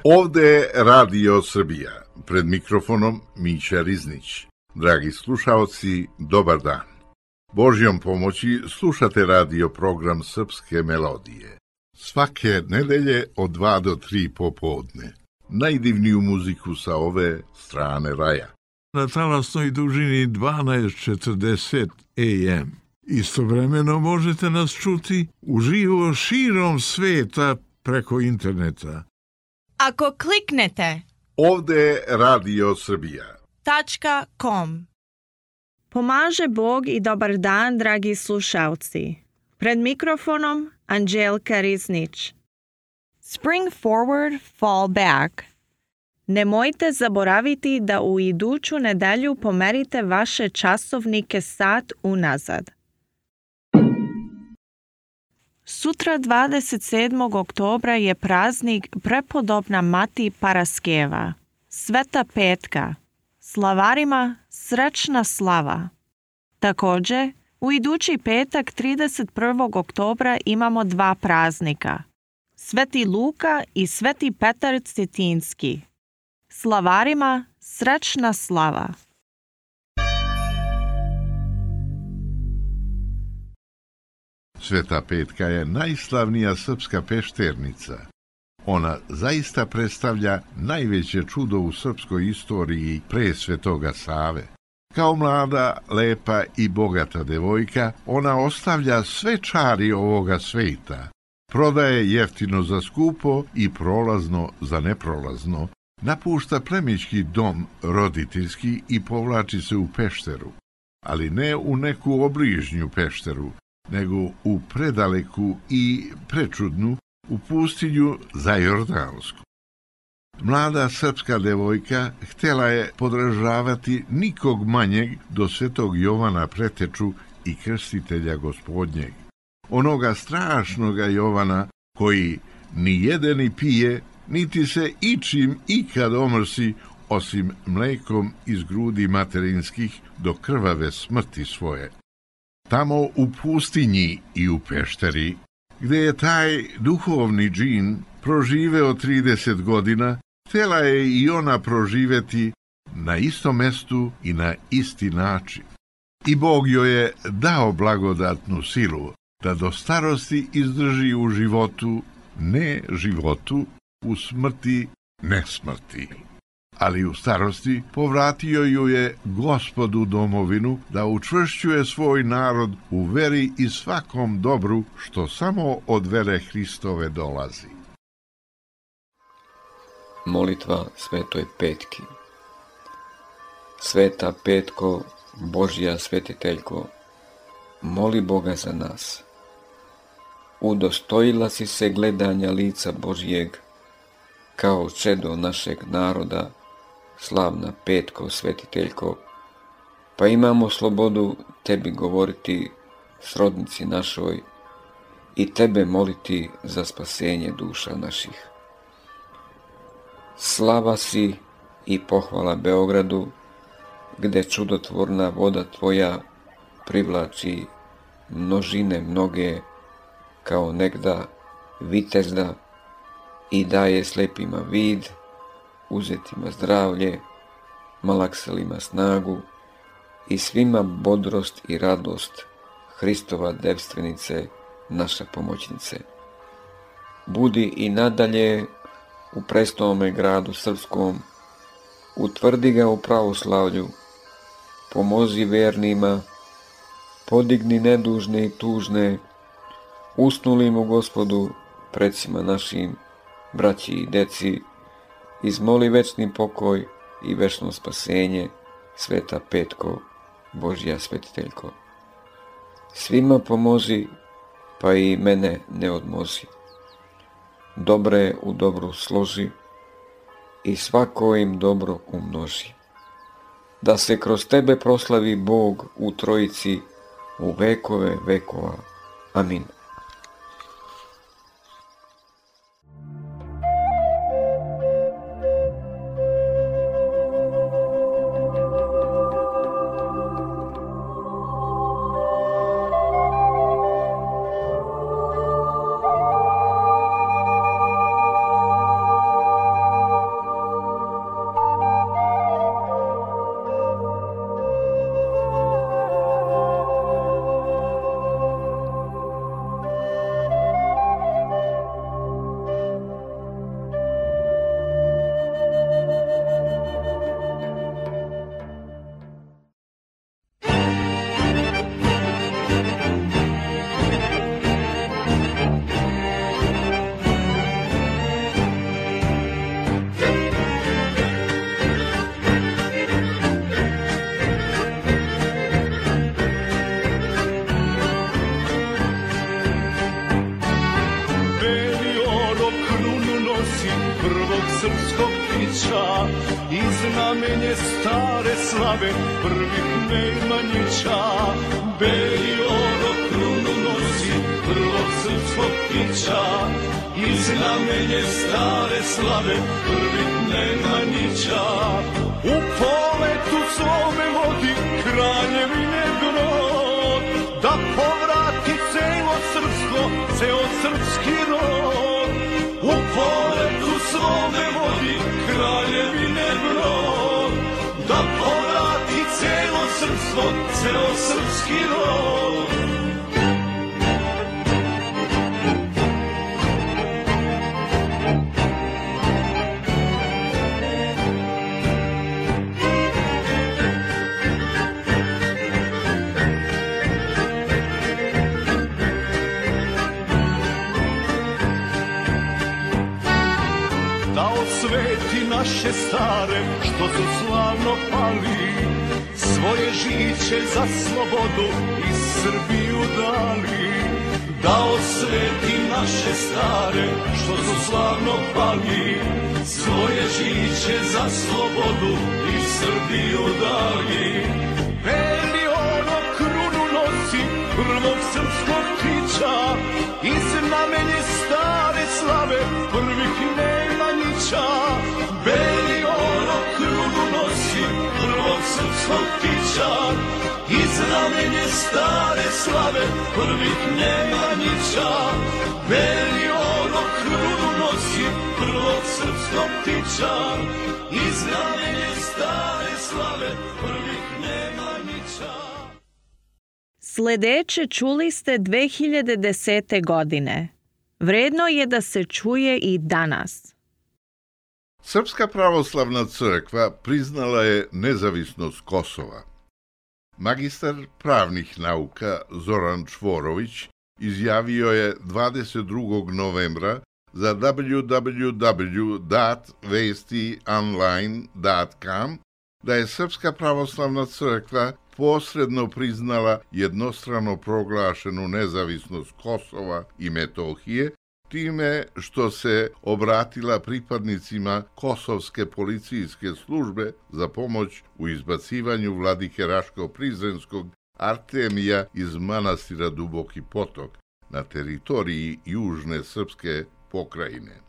Ovde je Radio Srbija, pred mikrofonom Mića Riznić. Dragi slušaoci, dobar dan. Božjom pomoći slušate radio program Srpske melodije. Svake nedelje od 2 do 3 popodne. Najdivniju muziku sa ove strane raja. Na talasnoj dužini 1240 AM. Istovremeno možete nas čuti uživo širom sveta preko interneta. Ako kliknete Ovde je Radio Srbija. .com. Pomaže Bog i dobar dan, dragi slušalci. Pred mikrofonom Anđelka Riznić. Spring forward, fall back. Nemojte zaboraviti da u iduću nedelju pomerite vaše časovnike sat unazad. Sutra 27. oktobra je praznik prepodobna Mati Paraskeva, Sveta Petka. Slavarima srećna slava. Također, u idući petak 31. oktobra imamo 2 praznika. Sveti Luka i Sveti Petar Cetinski. Slavarima srećna slava. Sveta Petka je najslavnija srpska pešternica. Ona zaista predstavlja najveće čudo u srpskoj istoriji pre Svetoga Save. Kao mlada, lepa i bogata devojka, ona ostavlja sve čari ovoga sveta. Prodaje jeftino za skupo i prolazno za neprolazno. Napušta plemićki dom roditeljski i povlači se u pešteru. Ali ne u neku obližnju pešteru, nego u predaleku i prečudnu, u pustinju za Jordansku. Mlada srpska devojka htjela je podržavati nikog manjeg do Svetog Jovana Preteču i Krstitelja Gospodnjeg. Onoga strašnoga Jovana koji ni jede ni pije, niti se ičim ikad omrsi, osim mlekom iz grudi materinskih do krvave smrti svoje. Tamo u pustinji i u pešteri, gdje je taj duhovni džin proživeo 30 godina, htjela je i ona proživeti na istom mestu i na isti način. I Bog joj je dao blagodatnu silu da do starosti izdrži u životu, ne životu, u smrti, ne smrti. Ali u starosti povratio ju je Gospod u domovinu da učvršćuje svoj narod u veri i svakom dobru što samo od vere Hristove dolazi. Molitva Svetoj Petki. Sveta Petko, Božja svetiteljko, moli Boga za nas. Udostojila si se gledanja lica Božjeg, kao čedo našeg naroda, slavna Petko, svetiteljko, pa imamo slobodu tebi govoriti, srodnici našoj, i tebe moliti za spasenje duša naših. Slava si i pohvala Beogradu, gde čudotvorna voda tvoja privlači množine mnoge, kao negda vitezda, i daje slepima vid, uzetima zdravlje, malakselima snagu i svima bodrost i radost, Hristova devstvenice, naša pomoćnice. Budi i nadalje u prestolome gradu srpskom, utvrdi ga u pravoslavlju, pomozi vernima, podigni nedužne i tužne, usnulim u Gospodu, predsima našim, braći i deci, izmoli večni pokoj i večno spasenje, Sveta Petko, Božja svetiteljko. Svima pomozi, pa i mene ne odmozi. Dobre u dobru složi i svako im dobro umnoži. Da se kroz tebe proslavi Bog u Trojici u vekove vekova. Amin. slave prvih Nemanjića. Beli oro krunu nosi prvog srpskog ptića i znamenje stare slave prvih Nemanjića. U poletu svome vodi kraljevine brod, da povrati celo srpstvo, ceo srpski rod. U poletu svome vodi kraljevine brod, da povrati celo srpstvo, ceo srpski rod. Sveti naše stare, što su slavno pali, svoje žiće za slobodu i Srbiju dali. Dao sveti naše stare, što su slavno pali, svoje žiće za slobodu i Srbiju dali. Beli ono krunu nosi prvog srpskog ptića i znamenje stare slave prvih Nemanjića. Beli ono krunu nosi prvog srpskog ptića i znamenje stare slave prvih Nemanjića. Beli ono krunu nosi prvog srpskog ptića i znamenje stare slave prvih Nemanjića. Sledeće čuli ste 2010. godine. Vredno je da se čuje i danas. Srpska pravoslavna crkva priznala je nezavisnost Kosova. Magistar pravnih nauka Zoran Čvorović izjavio je 22. novembra za www.vestionline.com da je Srpska pravoslavna crkva posredno priznala jednostrano proglašenu nezavisnost Kosova i Metohije, time što se obratila pripadnicima Kosovske policijske službe za pomoć u izbacivanju vladike Raško-Prizrenskog Artemija iz manastira Duboki Potok na teritoriji južne srpske pokrajine.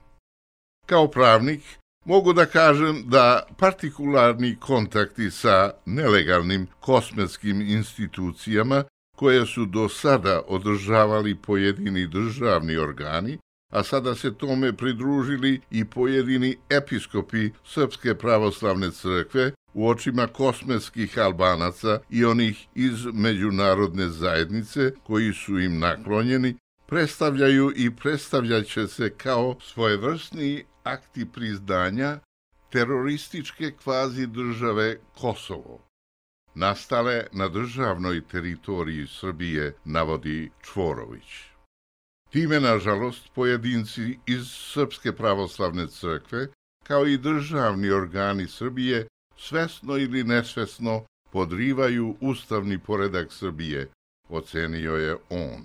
Kao pravnik, mogu da kažem da partikularni kontakti sa nelegalnim kosmetskim institucijama koje su do sada održavali pojedini državni organi, a sada se tome pridružili i pojedini episkopi Srpske pravoslavne crkve u očima kosmetskih Albanaca i onih iz međunarodne zajednice koji su im naklonjeni, predstavljaju i predstavljaće se kao svojevrsni akti priznanja terorističke kvazi države Kosovo, nastale na državnoj teritoriji Srbije, navodi Čvorović. Time, nažalost, pojedinci iz Srpske pravoslavne crkve, kao i državni organi Srbije, svesno ili nesvesno podrivaju ustavni poredak Srbije, ocenio je on.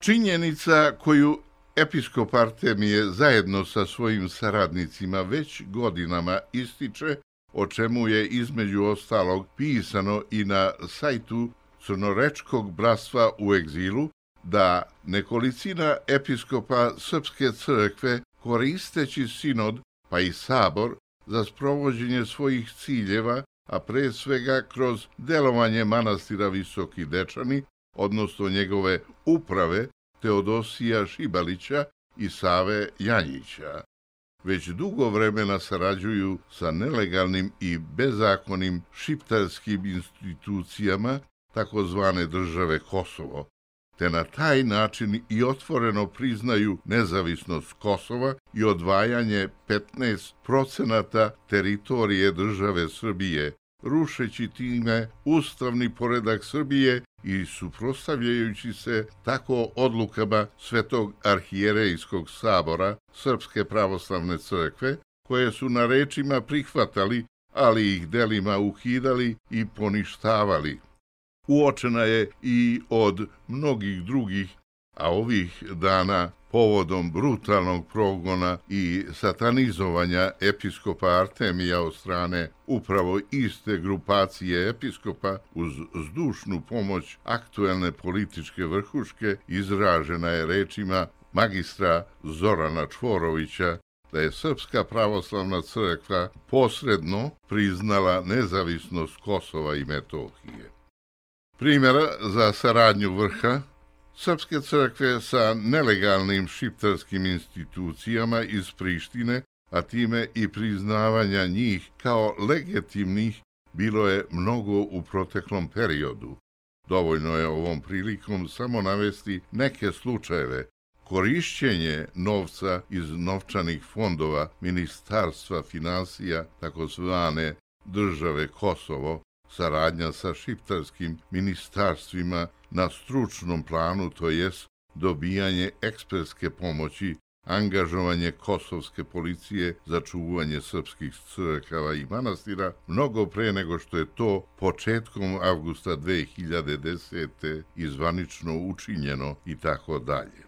Činjenica koju episkop Artemije zajedno sa svojim saradnicima već godinama ističe, o čemu je između ostalog pisano i na sajtu Crnorečkog bratstva u egzilu, da nekolicina episkopa Srpske crkve, koristeći sinod pa i sabor za sprovođenje svojih ciljeva, a pre svega kroz delovanje manastira Visoki Dečani, odnosno njegove uprave Teodosija Šibalića i Save Janjića, već dugo vremena sarađuju sa nelegalnim i bezakonim šiptarskim institucijama takozvane države Kosovo, te na taj način i otvoreno priznaju nezavisnost Kosova i odvajanje 15% teritorije države Srbije, rušeći time ustavni poredak Srbije i suprotstavljajući se tako odlukama Svetog arhijerejskog sabora Srpske pravoslavne crkve, koje su na rečima prihvatali, ali ih delima ukidali i poništavali. Uočena je i od mnogih drugih, a ovih dana povodom brutalnog progona i satanizovanja episkopa Artemija od strane upravo iste grupacije episkopa uz zdušnu pomoć aktuelne političke vrhuške izražena je rečima magistra Zorana Čvorovića da je Srpska pravoslavna crkva posredno priznala nezavisnost Kosova i Metohije. Primjera za saradnju vrha Srpske crkve sa nelegalnim šiptarskim institucijama iz Prištine, a time i priznavanja njih kao legitimnih, bilo je mnogo u proteklom periodu. Dovoljno je ovom prilikom samo navesti neke slučajeve. Korišćenje novca iz novčanih fondova Ministarstva finansija, takozvane države Kosovo, saradnja sa šiptarskim ministarstvima na stručnom planu, to jest dobijanje ekspertske pomoći, angažovanje kosovske policije za čuvanje srpskih crkava i manastira, mnogo pre nego što je to početkom avgusta 2010. izvanično učinjeno i tako dalje.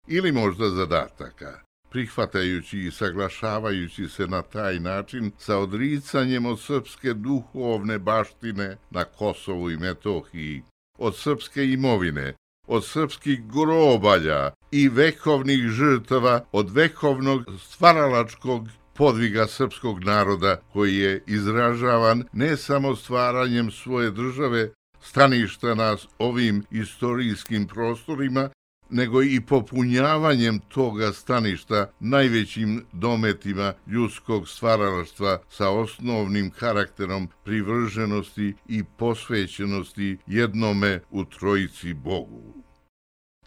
Ili možda zadataka, prihvatajući i saglašavajući se na taj način sa odricanjem od srpske duhovne baštine na Kosovu i Metohiji, od srpske imovine, od srpskih grobalja i vekovnih žrtava, od vekovnog stvaralačkog podviga srpskog naroda koji je izražavan ne samo stvaranjem svoje države, staništa na ovim istorijskim prostorima, nego i popunjavanjem toga staništa najvećim dometima ljudskog stvaralaštva sa osnovnim karakterom privrženosti i posvećenosti jednome u Trojici Bogu.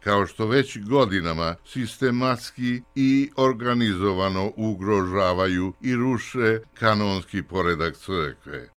Kao što već godinama sistematski i organizovano ugrožavaju i ruše kanonski poredak crkve.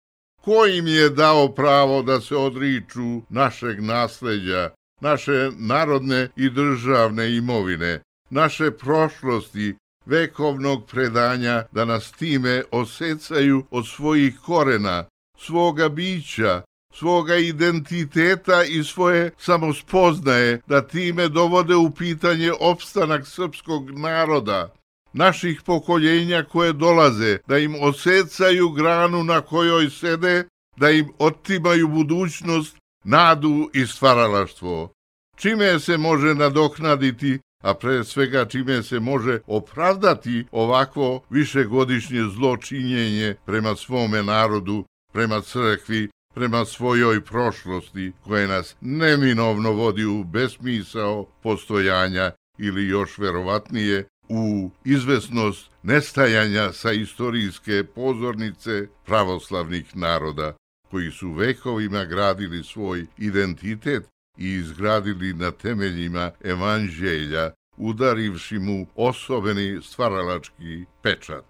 Ko im je dao pravo da se odriču našeg nasleđa, naše narodne i državne imovine, naše prošlosti, vekovnog predanja, da nas time osecaju od svojih korena, svoga bića, svoga identiteta i svoje samospoznaje, da time dovode u pitanje opstanak srpskog naroda, naših pokoljenja koje dolaze, da im osecaju granu na kojoj sede, da im otimaju budućnost, nadu i stvaralaštvo. Čime se može nadoknaditi, a pre svega čime se može opravdati ovakvo višegodišnje zločinjenje prema svome narodu, prema crkvi, prema svojoj prošlosti, koja nas neminovno vodi u besmisao postojanja ili još verovatnije u izvesnost nestajanja sa istorijske pozornice pravoslavnih naroda, koji su vekovima gradili svoj identitet i izgradili na temeljima evanđelja, udarivši mu osobeni stvaralački pečat.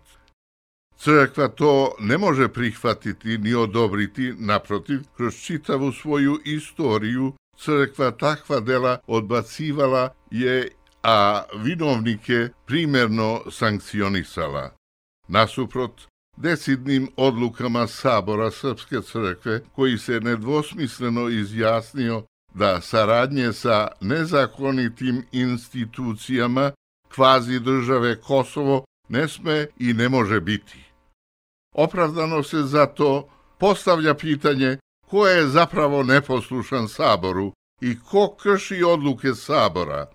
Crkva to ne može prihvatiti ni odobriti, naprotiv, kroz čitavu svoju istoriju crkva takva dela odbacivala je, a vinovnike primerno sankcionisala. Nasuprot decidnim odlukama Sabora Srpske crkve, koji se nedvosmisleno izjasnio da saradnje sa nezakonitim institucijama kvazi države Kosovo ne sme i ne može biti. Opravdano se zato postavlja pitanje ko je zapravo neposlušan Saboru i ko krši odluke Sabora.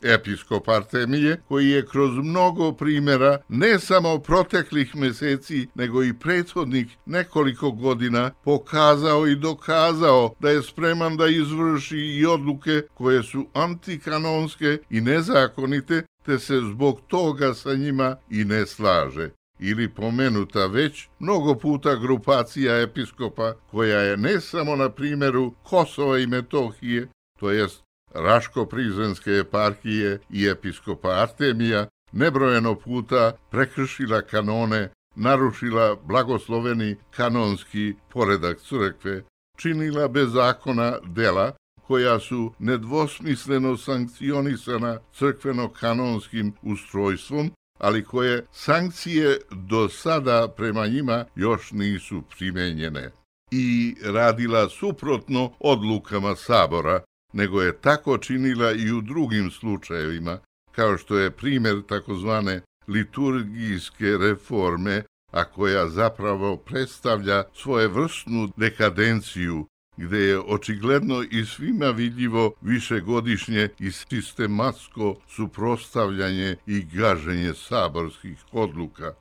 Episkop Artemije, koji je kroz mnogo primjera ne samo proteklih meseci, nego i prethodnih nekoliko godina pokazao i dokazao da je spreman da izvrši i odluke koje su antikanonske i nezakonite, te se zbog toga sa njima i ne slaže. Ili pomenuta već mnogo puta grupacija episkopa, koja je ne samo na primjeru Kosova i Metohije, to jest Raško-Prizrenske eparhije i episkopa Artemija, nebrojeno puta prekršila kanone, narušila blagosloveni kanonski poredak crkve, činila bez zakona dela koja su nedvosmisleno sankcionisana crkveno-kanonskim ustrojstvom, ali koje sankcije do sada prema njima još nisu primenjene, i radila suprotno odlukama Sabora, nego je tako činila i u drugim slučajevima, kao što je primjer takozvane liturgijske reforme, a koja zapravo predstavlja svojevrsnu dekadenciju, gde je očigledno i svima vidljivo višegodišnje i sistematsko suprotstavljanje i gaženje saborskih odluka,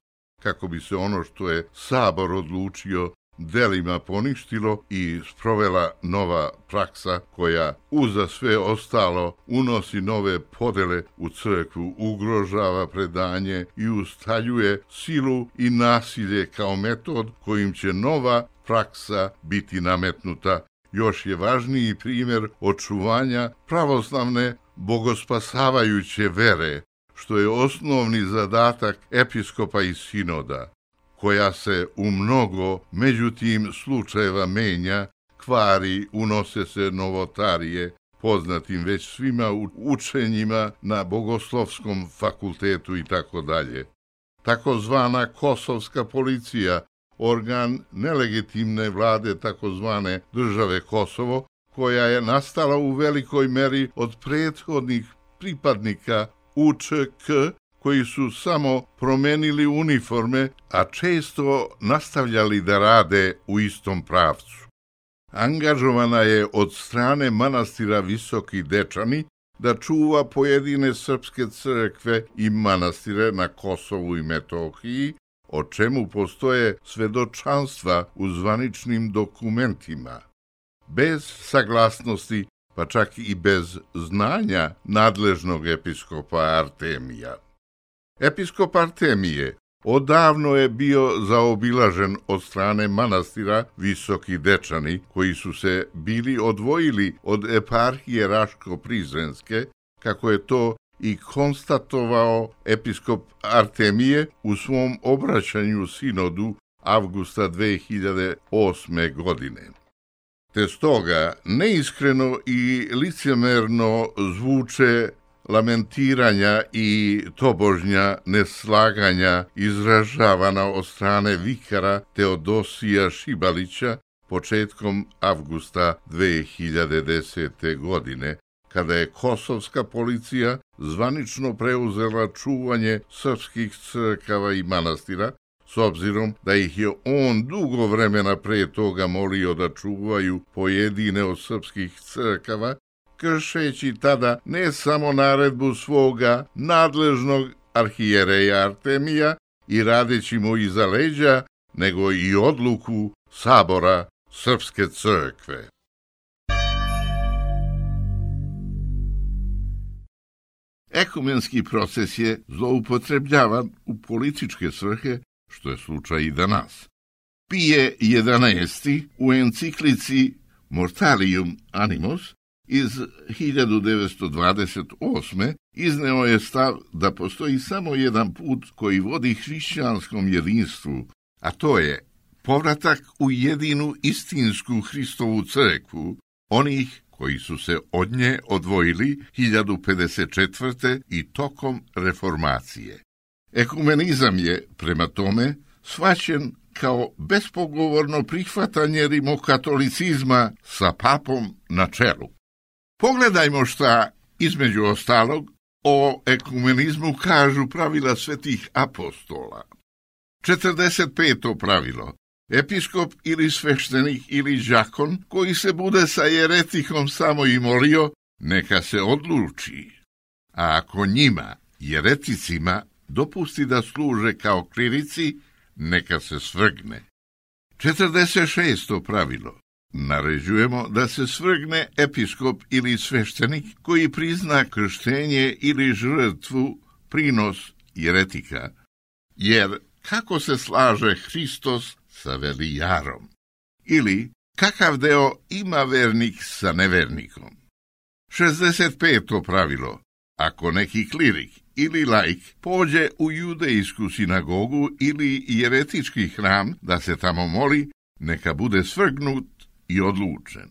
kako bi se ono što je Sabor odlučio delima poništilo i sprovela nova praksa koja uza sve ostalo unosi nove podele u crkvu, ugrožava predanje i ustaljuje silu i nasilje kao metod kojim će nova praksa biti nametnuta. Još je važniji primjer očuvanja pravoslavne bogospasavajuće vere, što je osnovni zadatak episkopa i sinoda, koja se u mnogo međutim slučajeva menja, kvari, unose se novotarije, poznatim već svima učenjima na bogoslovskom fakultetu i tako dalje. Takozvana kosovska policija, organ nelegitimne vlade takozvane države Kosovo, koja je nastala u velikoj meri od prethodnih pripadnika UČK, koji su samo promenili uniforme, a često nastavljali da rade u istom pravcu. Angažovana je od strane manastira Visoki Dečani da čuva pojedine srpske crkve i manastire na Kosovu i Metohiji, o čemu postoje svedočanstva u zvaničnim dokumentima. Bez saglasnosti, pa čak i bez znanja nadležnog episkopa Artemija. Episkop Artemije odavno je bio zaobilažen od strane manastira Visoki Dečani, koji su se bili odvojili od eparhije Raško-Prizrenske, kako je to i konstatovao episkop Artemije u svom obraćanju sinodu avgusta 2008. godine. Te stoga neiskreno i licemerno zvuče lamentiranja i tobožnja neslaganja izražavana od strane vikara Teodosija Šibalića početkom avgusta 2010. godine, kada je kosovska policija zvanično preuzela čuvanje srpskih crkava i manastira, s obzirom da ih je on dugo vremena pre toga molio da čuvaju pojedine od srpskih crkava, kršeći tada ne samo naredbu svoga nadležnog arhijereja Artemija i radeći mu iza leđa, nego i odluku Sabora Srpske crkve. Ekumenski proces je zloupotrebljavan u političke svrhe, što je slučaj i danas. Pije XI u enciklici Mortalium Animos iz 1928. izneo je stav da postoji samo jedan put koji vodi hrišćanskom jedinstvu, a to je povratak u jedinu istinsku Hristovu crkvu, onih koji su se od nje odvojili 1054. i tokom reformacije. Ekumenizam je, prema tome, shvaćen kao bespogovorno prihvatanje rimokatolicizma sa papom na čelu. Pogledajmo šta, između ostalog, o ekumenizmu kažu pravila svetih apostola. 45. pravilo. Episkop ili sveštenik ili đakon koji se bude sa jeretikom samo i molio, neka se odluči. A ako njima, jereticima, dopusti da služe kao klirici, neka se svrgne. 46. pravilo. Naređujemo da se svrgne episkop ili sveštenik koji prizna krštenje ili žrtvu prinos jeretika. Jer kako se slaže Hristos sa velijarom? Ili kakav deo ima vernik sa nevernikom? 65. pravilo. Ako neki klirik ili laik pođe u judejsku sinagogu ili jeretički hram da se tamo moli, neka bude svrgnut i odlučen.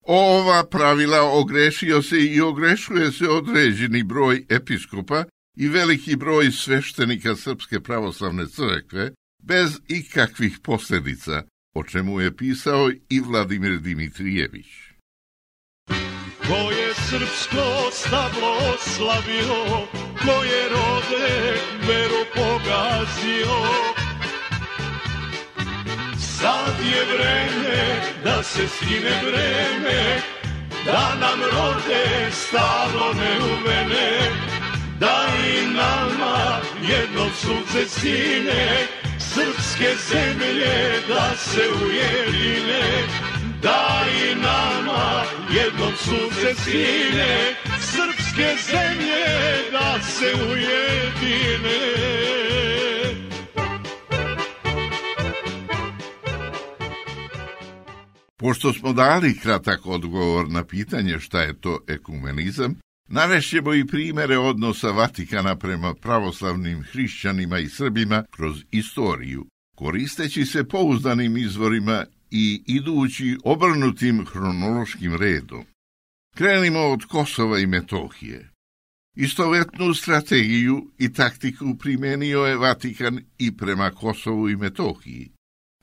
Ova pravila ogrešio se i ogrešuje se određeni broj episkopa i veliki broj sveštenika Srpske pravoslavne crkve bez ikakvih posljedica, o čemu je pisao i Vladimir Dimitrijević. Ko je srpsko stablo oslavio, koje rode veru pogazio. Sad je vreme da se skine vreme, da nam rode stablo neuvene, da i nama jednom sunce sine, srpske zemlje da se ujedine, da i nama jednom sunce sine, srpske zemlje da se ujedine. Pošto smo dali kratak odgovor na pitanje šta je to ekumenizam, navešćemo i primere odnosa Vatikana prema pravoslavnim hrišćanima i Srbima kroz istoriju, koristeći se pouzdanim izvorima i idući obrnutim hronološkim redom. Krenimo od Kosova i Metohije. Istovetnu strategiju i taktiku primenio je Vatikan i prema Kosovu i Metohiji.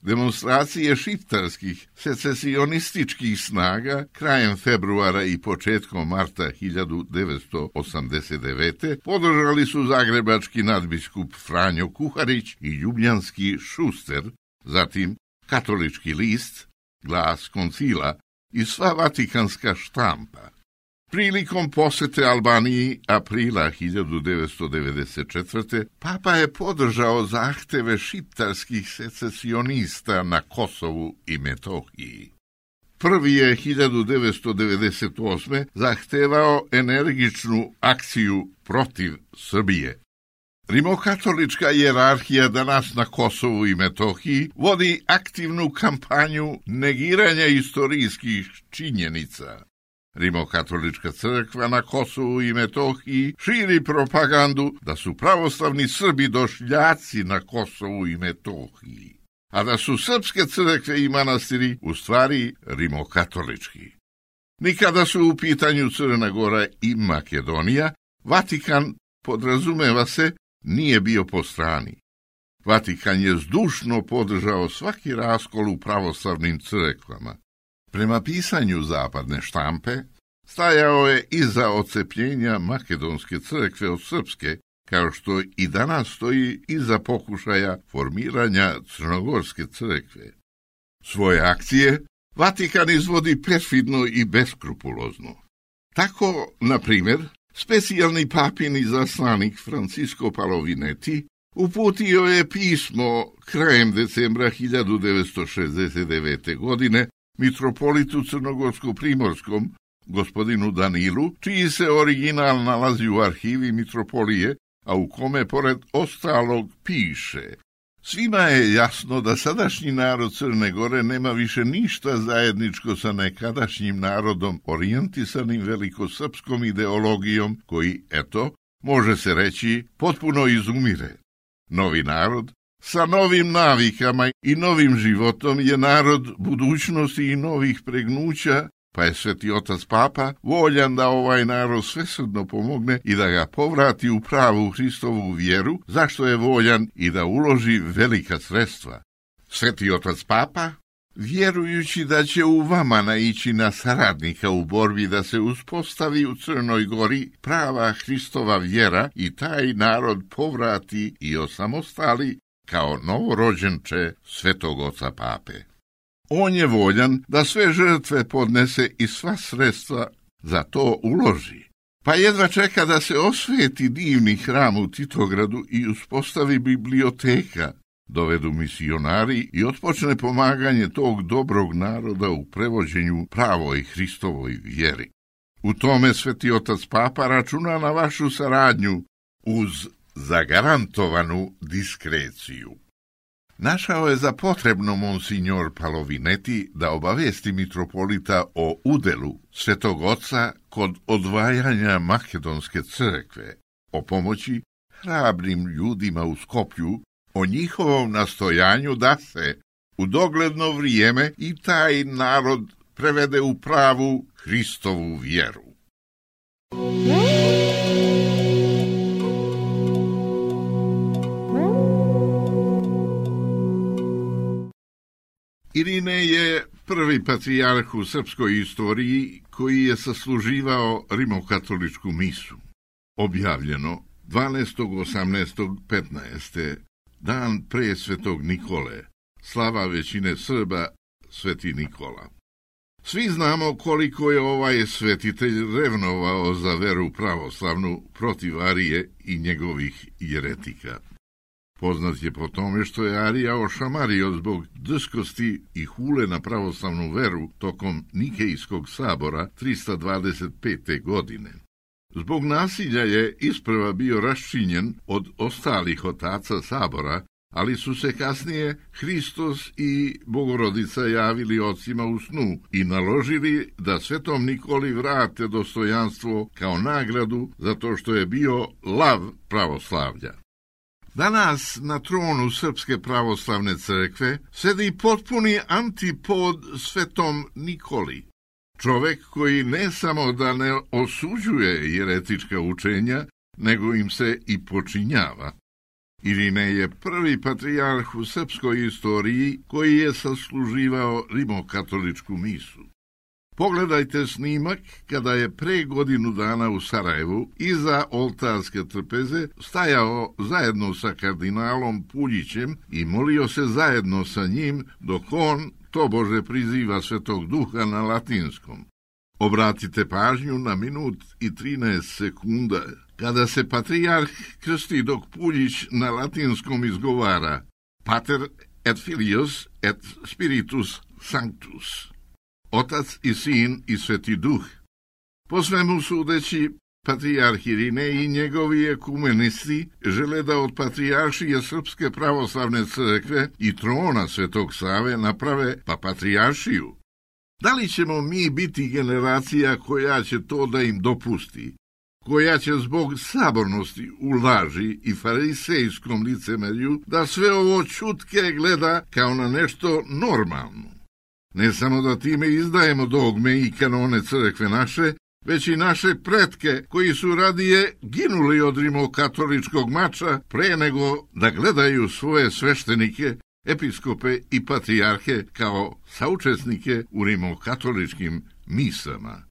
Demonstracije šiptarskih secesionističkih snaga krajem februara i početkom marta 1989. podržali su zagrebački nadbiskup Franjo Kuharić i ljubljanski Šuster, zatim katolički list, Glas koncila i sva vatikanska štampa. Prilikom posete Albaniji aprila 1994. Papa je podržao zahteve šiptarskih secesionista na Kosovu i Metohiji. Prvi je 1998. zahtevao energičnu akciju protiv Srbije. Rimokatolička hijerarhija danas na Kosovu i Metohiji vodi aktivnu kampanju negiranja istorijskih činjenica. Rimokatolička crkva na Kosovu i Metohiji širi propagandu da su pravoslavni Srbi došljaci na Kosovu i Metohiji, a da su srpske crkve i manastiri u stvari rimokatolički. Nikada su u pitanju Crna Gora i Makedonija, Vatikan, podrazumeva se, nije bio po strani. Vatikan je zdušno podržao svaki raskol u pravoslavnim crkvama. Prema pisanju zapadne štampe, stajao je iza odcepljenja makedonske crkve od srpske, kao što i danas stoji iza pokušaja formiranja crnogorske crkve. Svoje akcije Vatikan izvodi perfidno i beskrupulozno. Tako, na primjer, specijalni papin izaslanik Francisco Palovineti uputio je pismo krajem decembra 1969. godine mitropolitu crnogorsko-primorskom, gospodinu Danilu, čiji se original nalazi u arhivi mitropolije, a u kome pored ostalog piše: svima je jasno da sadašnji narod Crne Gore nema više ništa zajedničko sa nekadašnjim narodom orijentisanim velikosrpskom ideologijom koji, eto, može se reći, potpuno izumire. Novi narod sa novim navikama i novim životom je narod budućnosti i novih pregnuća, pa je Sveti Otac Papa voljan da ovaj narod svesrdno pomogne i da ga povrati u pravu Hristovu vjeru, zašto je voljan i da uloži velika sredstva. Sveti Otac Papa, vjerujući da će u vama naići na saradnika u borbi da se uspostavi u Crnoj Gori prava Hristova vjera i taj narod povrati i osamostali kao novorođenče Svetog Oca Pape. On je voljan da sve žrtve podnese i sva sredstva za to uloži, pa jedva čeka da se osveti divni hram u Titogradu i uspostavi biblioteka, dovedu misionari i otpočne pomaganje tog dobrog naroda u prevođenju pravoj Hristovoj vjeri. U tome Sveti Otac Papa računa na vašu saradnju uz zagarantovanu diskreciju. Našao je za potrebno monsignor Palovineti da obavesti mitropolita o udelu Svetog Oca kod odvajanja Makedonske crkve, o pomoći hrabrim ljudima u Skoplju, o njihovom nastojanju da se u dogledno vrijeme i taj narod prevede u pravu Hristovu vjeru. Irine je prvi patrijarh u srpskoj istoriji koji je sasluživao rimokatoličku misu. Objavljeno 12.18.15. dan pre svetog Nikole, slava većine Srba, sveti Nikola. Svi znamo koliko je ovaj svetitelj revnovao za veru pravoslavnu protiv Arije i njegovih jeretika. Poznat je po tome što je Arija ošamario zbog drskosti i hule na pravoslavnu veru tokom Nikejskog sabora 325. godine. Zbog nasilja je isprva bio raščinjen od ostalih otaca sabora, ali su se kasnije Hristos i Bogorodica javili ocima u snu i naložili da svetom Nikoli vrate dostojanstvo kao nagradu zato što je bio lav pravoslavlja. Danas na tronu Srpske pravoslavne crkve sedi potpuni antipod svetom Nikoli. Čovek koji ne samo da ne osuđuje jeretička učenja, nego im se i počinjava. Irinej je prvi patrijarh u srpskoj istoriji koji je sasluživao rimokatoličku misu. Pogledajte snimak kada je pre godinu dana u Sarajevu iza oltarske trpeze stajao zajedno sa kardinalom Puljićem i molio se zajedno sa njim dok on tobože priziva Svetog Duha na latinskom. Obratite pažnju na minut i 13 sekunda kada se patrijarh krsti dok Puljić na latinskom izgovara Pater et Filius et Spiritus Sanctus. Otac i sin i Sveti Duh. Po svemu sudeći, patrijarh Irinej i njegovi ekumenisti žele da od patrijaršije Srpske pravoslavne crkve i trona Svetog Save naprave patrijaršiju. Da li ćemo mi biti generacija koja će to da im dopusti, koja će zbog sabornosti u laži i farisejskom licemerju da sve ovo čutke gleda kao na nešto normalno? Ne samo da time izdajemo dogme i kanone crkve naše, već i naše pretke koji su radije ginuli od rimokatoličkog mača pre nego da gledaju svoje sveštenike, episkope i patrijarhe kao saučesnike u rimokatoličkim misama.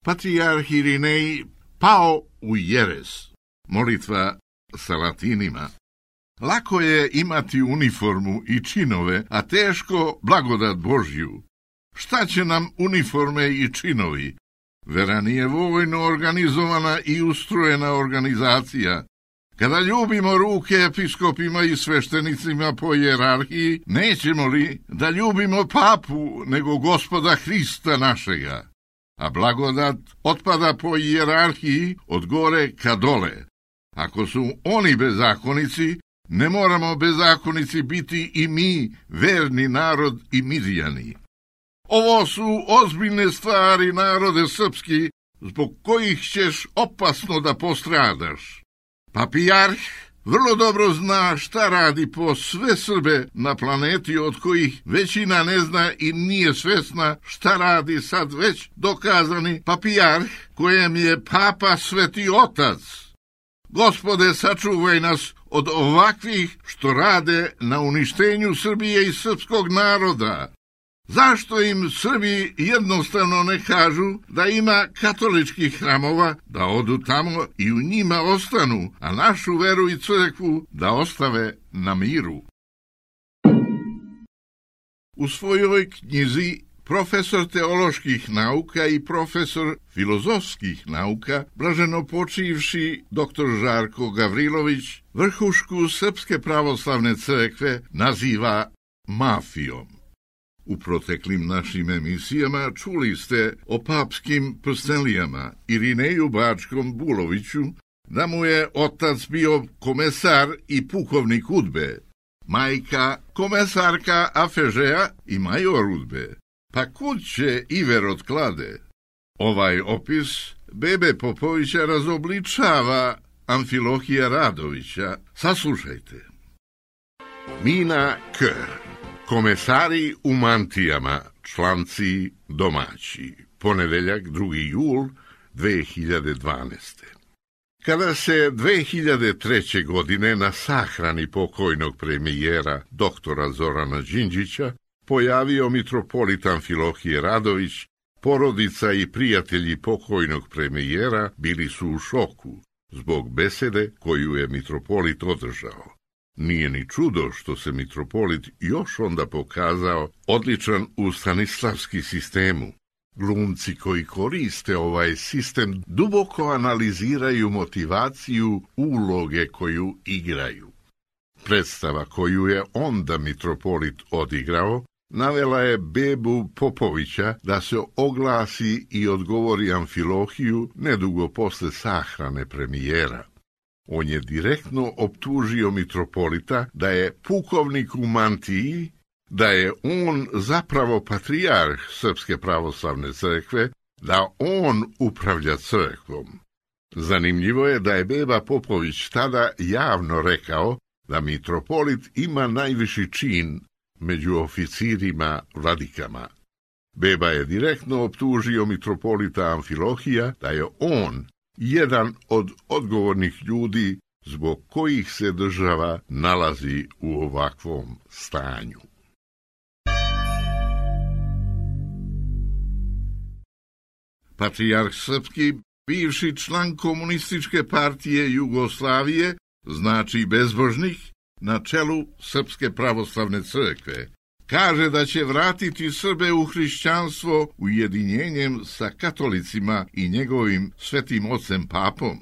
Patrijarh Irinej pao u jeres. Molitva sa latinima. Lako je imati uniformu i činove, a teško blagodat Božju. Šta će nam uniforme i činovi? Vera nije vojno organizovana i ustrojena organizacija. Kada ljubimo ruke episkopima i sveštenicima po hijerarhiji, nećemo li da ljubimo papu nego Gospoda Hrista našega? A blagodat otpada po hijerarhiji od gore ka dole. Ako su oni bezakonici, ne moramo bezakonici biti i mi, verni narod i Mirjani. Ovo su ozbiljne stvari, narode srpski, zbog kojih ćeš opasno da postradaš. Patrijarh vrlo dobro zna šta radi po sve Srbe na planeti, od kojih većina ne zna i nije svesna šta radi sad već dokazani patrijarh kojem je Papa Sveti Otac. Gospode, sačuvaj nas od ovakvih što rade na uništenju Srbije i srpskog naroda. Zašto im Srbi jednostavno ne kažu da ima katoličkih hramova, da odu tamo i u njima ostanu, a našu veru i crkvu da ostave na miru? U svojoj knjizi profesor teoloških nauka i profesor filozofskih nauka, blaženopočivši dr. Žarko Gavrilović, vrhušku Srpske pravoslavne crkve naziva mafijom. U proteklim našim emisijama čuli ste o papskim prstenlijama Irineju Bačkom Buloviću, da mu je otac bio komesar i pukovnik UDBE, majka komesarka Afežeja i major UDBE. Pa kud će Iver od klade? Ovaj opis Bebe Popovića razobličava Amfilohija Radovića. Saslušajte. Mina K. Komesari u mantijama, članci domaći. Ponedeljak, 2. jul 2012. Kada se 2003. godine na sahrani pokojnog premijera doktora Zorana Đinđića pojavio mitropolit Amfilohije Radović, porodica i prijatelji pokojnog premijera bili su u šoku zbog besede koju je mitropolit održao. Nije ni čudo što se mitropolit još onda pokazao odličan u stanislavski sistemu. Glumci koji koriste ovaj sistem duboko analiziraju motivaciju uloge koju igraju. Predstava koju je onda mitropolit odigrao navela je Bebu Popovića da se oglasi i odgovori Amfilohiju nedugo posle sahrane premijera. On je direktno optužio mitropolita da je pukovnik u mantiji, da je on zapravo patrijarh Srpske pravoslavne crkve, da on upravlja crkvom. Zanimljivo je da je Beba Popović tada javno rekao da mitropolit ima najviši čin među oficirima vladikama. Beba je direktno optužio mitropolita Amfilohija da je on jedan od odgovornih ljudi zbog kojih se država nalazi u ovakvom stanju. Patrijarh srpski, bivši član Komunističke partije Jugoslavije, znači bezbožnik, na čelu Srpske pravoslavne crkve, kaže da će vratiti Srbe u hrišćanstvo ujedinjenjem sa katolicima i njegovim svetim ocem papom.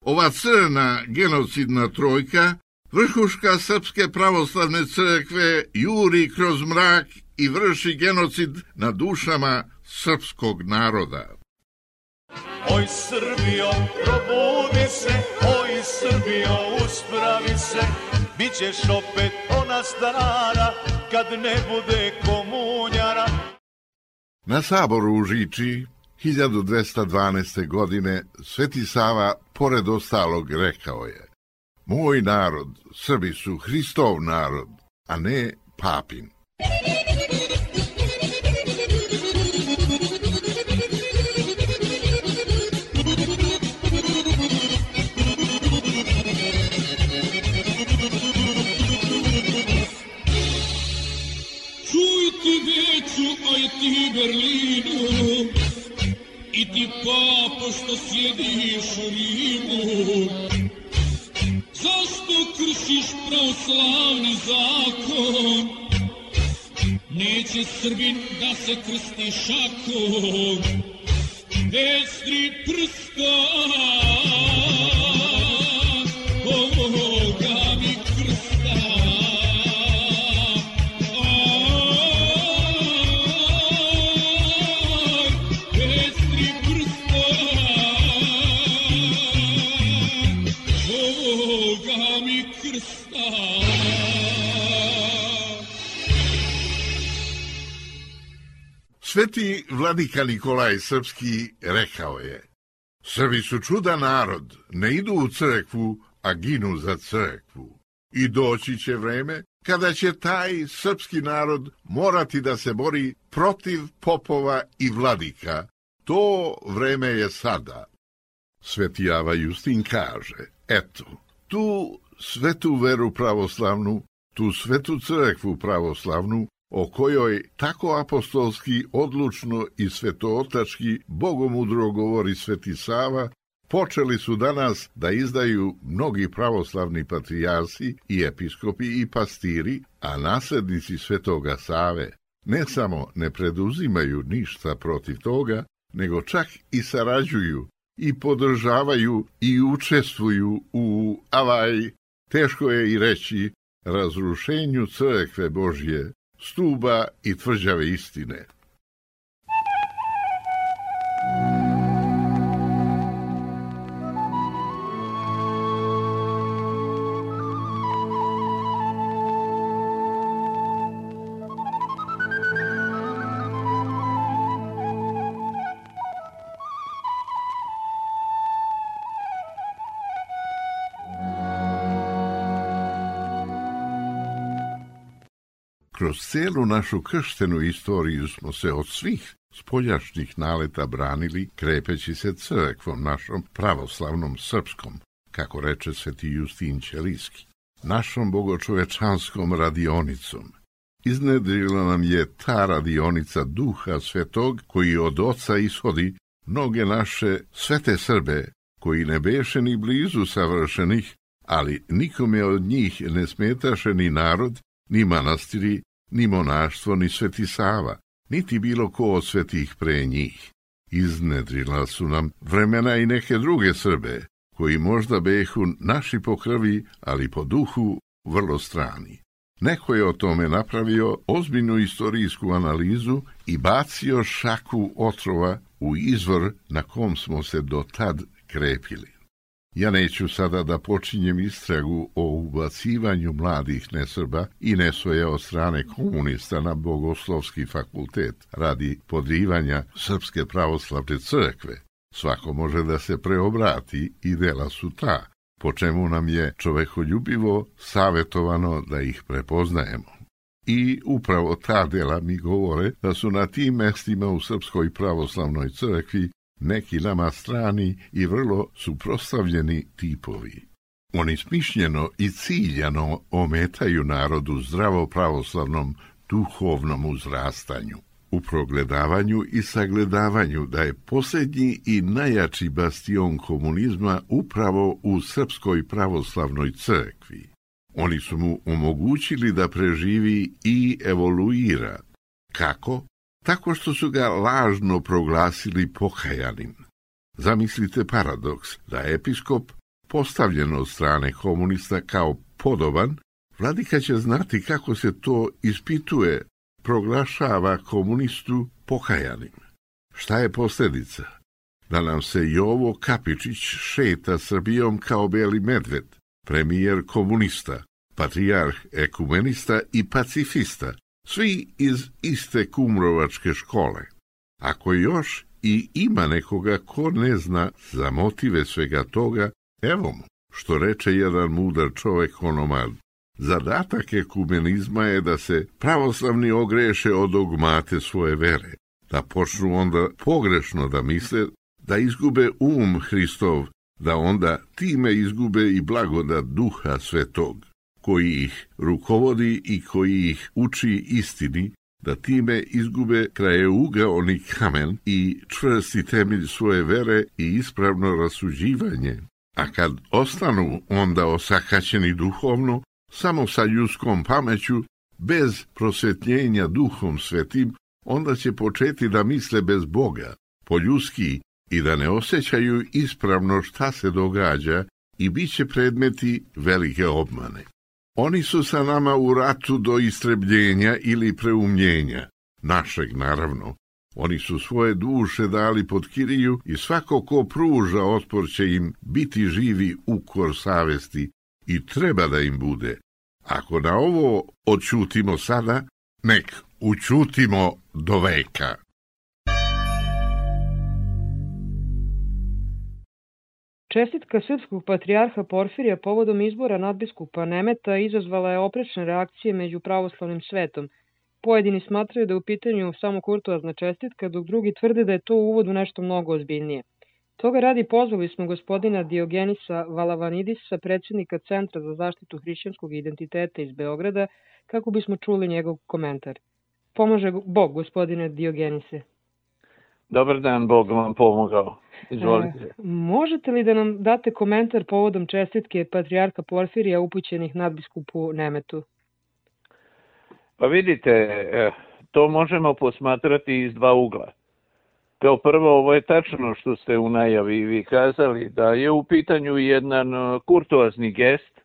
Ova crna genocidna trojka, vrhuška Srpske pravoslavne crkve, juri kroz mrak i vrši genocid na dušama srpskog naroda. Oj Srbijo, probudi se, oj Srbijo, uspravi se, bit ćeš opet ona stara, kad ne bude komunjara. Na saboru u Žiči 1212. godine Sveti Sava, pored ostalog, rekao je: moj narod, Srbi su Hristov narod, a ne papin. Aj ti Berlinu, i ti papo što sjediš u Rimu, zašto kršiš pravoslavni zakon? Neće Srbin da se krsti šakom, bez 3 prsta, ovoga mi krsta. Sveti vladika Nikolaj Srpski rekao je: Srbi su čudan narod, ne idu u crkvu, a ginu za crkvu. I doći će vreme kada će taj srpski narod morati da se bori protiv popova i vladika. To vreme je sada. Sveti Ava Justin kaže: eto, tu svetu veru pravoslavnu, tu svetu crkvu pravoslavnu, o kojoj tako apostolski, odlučno i svetootački bogomudro govori Sveti Sava, počeli su danas da izdaju mnogi pravoslavni patrijarsi i episkopi i pastiri, a naslednici Svetoga Save ne samo ne preduzimaju ništa protiv toga, nego čak i sarađuju i podržavaju i učestvuju u teško je i reći, razrušenju crkve Božje, stuba i tvrđave istine. Kroz cijelu našu krštenu istoriju smo se od svih spoljašnjih naleta branili, krepeći se crkvom našom pravoslavnom srpskom, kako reče sveti Justin Ćelijski, našom bogočovečanskom radionicom, iznedrila nam je ta radionica Duha Svetog koji od Oca ishodi mnoge naše svete Srbe, koji ne beše ni blizu savršenih, ali nikome od njih ne smetaše ni narod, ni manastiri, ni monaštvo, ni Sveti Sava, niti bilo ko od svetih pre njih. Iznedrila su nam vremena i neke druge Srbe, koji možda behu naši po krvi, ali po duhu vrlo strani. Neko je o tome napravio ozbiljnu istorijsku analizu i bacio šaku otrova u izvor na kom smo se do tad krepili. Ja neću sada da počinjem istragu o ubacivanju mladih nesrba i nesvoja od strane komunista na Bogoslovski fakultet radi podrivanja Srpske pravoslavne crkve. Svako može da se preobrati i dela su ta, po čemu nam je čovekoljubivo savjetovano da ih prepoznajemo. I upravo ta dela mi govore da su na tim mestima u Srpskoj pravoslavnoj crkvi neki nama strani i vrlo suprotstavljeni tipovi. Oni smišljeno i ciljano ometaju narodu zdravo pravoslavnom duhovnom uzrastanju, u progledavanju i sagledavanju da je posljednji i najjači bastion komunizma upravo u Srpskoj pravoslavnoj crkvi. Oni su mu omogućili da preživi i evoluira. Kako? Tako što su ga lažno proglasili pokajanim. Zamislite paradoks da episkop, postavljen od strane komunista kao podoban, vladika će znati kako se to ispituje, proglašava komunistu pokajanim. Šta je posljedica? Da nam se Jovo Kapičić šeta Srbijom kao beli medved, premijer komunista, patrijarh ekumenista i pacifista, svi iz iste kumrovačke škole. Ako još i ima nekoga ko ne zna za motive svega toga, evo mu, što reče jedan mudar čovek onomad. Zadatak ekumenizma je da se pravoslavni ogreše od dogmate svoje vere, da počnu onda pogrešno da misle, da izgube Hristov, da onda time izgube i blagodat Duha Svetog, koji ih rukovodi i koji ih uči istini, da time izgube krajeугаoni kamen i čvrsti temelj svoje vere i ispravno rasuđivanje. A kad ostanu onda osakaćeni duhovno, samo sa ljudskom pameću, bez prosvetljenja Duhom Svetim, onda će početi da misle bez Boga, po ljudski, i da ne osjećaju ispravno šta se događa i bit će predmeti velike obmane. Oni su sa nama u ratu do istrebljenja ili preumljenja, našeg naravno. Oni su svoje duše dali pod kiriju i svako ko pruža otpor će im biti živi ukor savesti i treba da im bude. Ako na ovo odćutimo sada, nek učutimo do veka. Čestitka srpskog patrijarha Porfirija povodom izbora nadbiskupa Nemeta izazvala je oprečne reakcije među pravoslavnim svetom. Pojedini smatraju da je u pitanju samo kurtoazna čestitka, dok drugi tvrde da je to uvod u nešto mnogo ozbiljnije. Toga radi pozvali smo gospodina Diogenisa Valavanidisa, predsjednika Centra za zaštitu hrišćanskog identiteta iz Beograda, kako bismo čuli njegov komentar. Pomaže Bog, gospodine Diogenise. Dobar dan, Bog vam pomogao. Izvolite. Možete li da nam date komentar povodom čestitke patrijarha Porfirija upućenih nadbiskupu Nemetu? Pa vidite, to možemo posmatrati iz dva ugla. Kao prvo, ovo je tačno što ste u najavi vi kazali, da je u pitanju jedan kurtoazni gest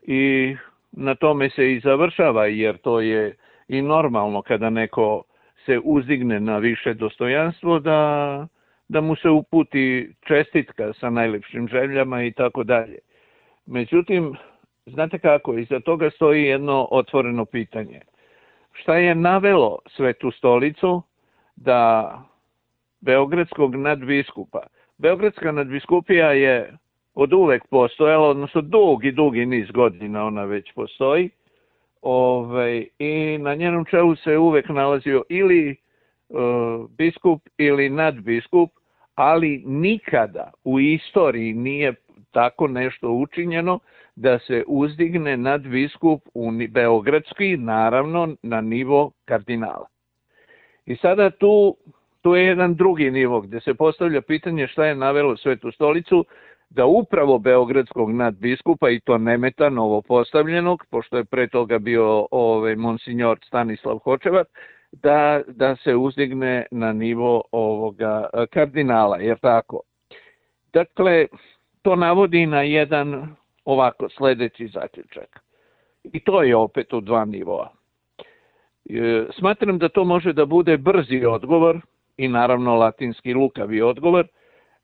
i na tome se i završava, jer to je i normalno kada neko se uzdigne na više dostojanstvo, da mu se uputi čestitka sa najlepšim željama i tako dalje. Međutim, znate kako, iza toga stoji jedno otvoreno pitanje. Šta je navelo Svetu stolicu da beogradskog nadbiskupa? Beogradska nadbiskupija je od uvek postojala, odnosno dugi niz godina ona već postoji, i na njenom čelu se uvek nalazio ili biskup ili nadbiskup, ali nikada u istoriji nije tako nešto učinjeno da se uzdigne nadbiskup beogradski, naravno na nivo kardinala. I sada tu je jedan drugi nivo gdje se postavlja pitanje šta je navelo Svetu stolicu da upravo beogradskog nadbiskupa, i to Nemeta, novopostavljenog, pošto je pre toga bio monsignor Stanislav Hočevar, da se uzdigne na nivo ovoga kardinala, jer tako. Dakle, to navodi na jedan ovako sljedeći zaključak. I to je opet u dva nivoa. Smatram da to može da bude brzi odgovor i naravno latinski lukavi odgovor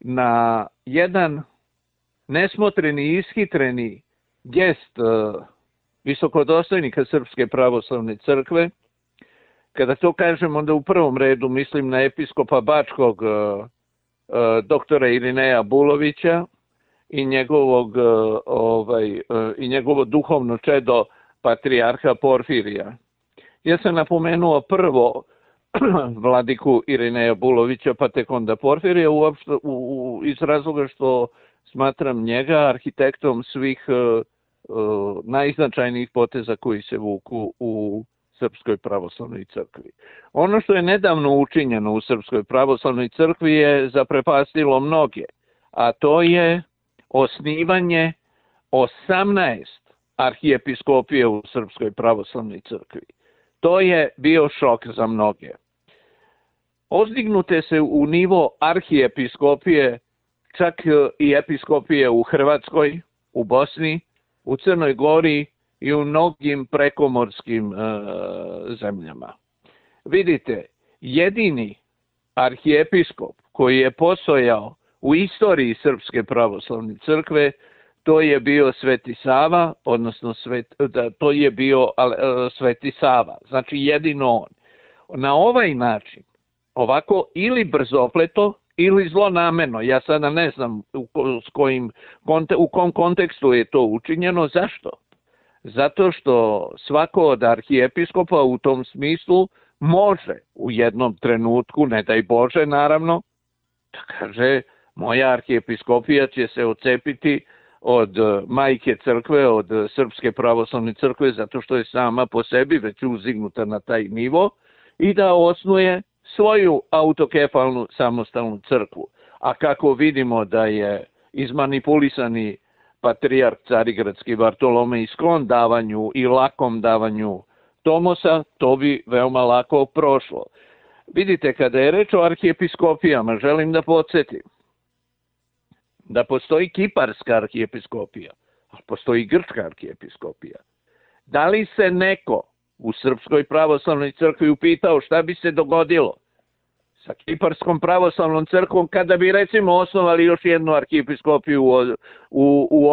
na jedan nesmotreni i ishitreni gest visokodostojnika Srpske pravoslavne crkve. Kada to kažem, onda u prvom redu mislim na episkopa Bačkog doktora Irineja Bulovića i njegovo duhovno čedo patrijarha Porfirija. Ja sam napomenuo prvo vladiku Irineja Bulovića, pa tek onda Porfirija, iz razloga što smatram njega arhitektom svih najznačajnijih poteza koji se vuku u Srpskoj pravoslavnoj crkvi. Ono što je nedavno učinjeno u Srpskoj pravoslavnoj crkvi je zaprepastilo mnoge, a to je osnivanje 18 arhijepiskopije u Srpskoj pravoslavnoj crkvi. To je bio šok za mnoge. Ozdignute se u nivo arhijepiskopije čak i episkopije u Hrvatskoj, u Bosni, u Crnoj Gori i u mnogim prekomorskim zemljama. Vidite, jedini arhijepiskop koji je postojao u istoriji Srpske pravoslavne crkve, to je bio Sveti Sava, odnosno to je bio Sveti Sava, znači jedino on. Na ovaj način, ovako ili brzopleto, ili zlonameno, ja sada ne znam u kom kontekstu je to učinjeno. Zašto? Zato što svako od arhijepiskopa u tom smislu može u jednom trenutku, ne daj Bože naravno, da kaže moja arhijepiskopija će se odcepiti od majke crkve, od Srpske pravoslavne crkve, zato što je sama po sebi već uzdignuta na taj nivo, i da osnuje svoju autokefalnu samostalnu crkvu. A kako vidimo da je izmanipulisani patrijarh carigradski Bartolomej sklon davanju i lakom davanju tomosa, to bi veoma lako prošlo. Vidite, kada je reč o arhijepiskopijama, želim da podsjetim da postoji kiparska arhijepiskopija, a postoji grčka arhijepiskopija. Da li se neko u Srpskoj pravoslavnoj crkvi upitao šta bi se dogodilo sa Kiparskom pravoslavnom crkvom kada bi recimo osnovali još jednu arhijepiskopiju u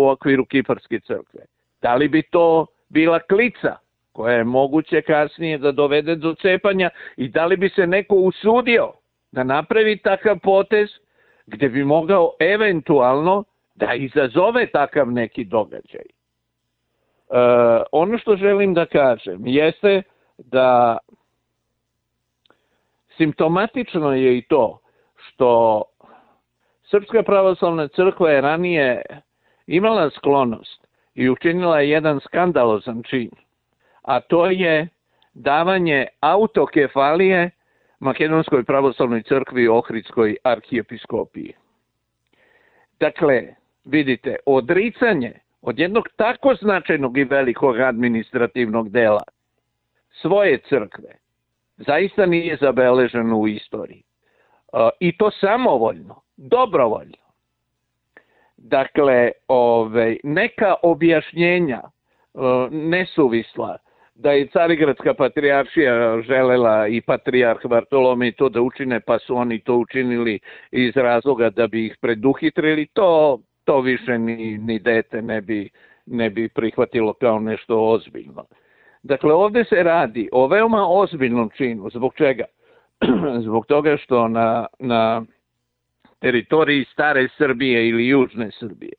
okviru Kiparske crkve? Da li bi to bila klica koja je moguće kasnije da dovede do cepanja i da li bi se neko usudio da napravi takav potez gdje bi mogao eventualno da izazove takav neki događaj? Ono što želim da kažem jeste da simptomatično je i to što Srpska pravoslavna crkva je ranije imala sklonost i učinila jedan skandalozan čin, a to je davanje autokefalije Makedonskoj pravoslavnoj crkvi i Ohridskoj arhijepiskopiji. Dakle, vidite, odricanje od jednog tako značajnog i velikog administrativnog dela svoje crkve zaista nije zabeleženo u istoriji. I to samovoljno, dobrovoljno. Dakle, neka objašnjenja nesuvisla da je Carigradska patrijaršija želela i patrijarh Bartolomej to da učine, pa su oni to učinili iz razloga da bi ih preduhitrili, to više ni dete ne bi prihvatilo kao nešto ozbiljno. Dakle, ovdje se radi o veoma ozbiljnom činu. Zbog čega? Zbog toga što na teritoriji stare Srbije ili južne Srbije,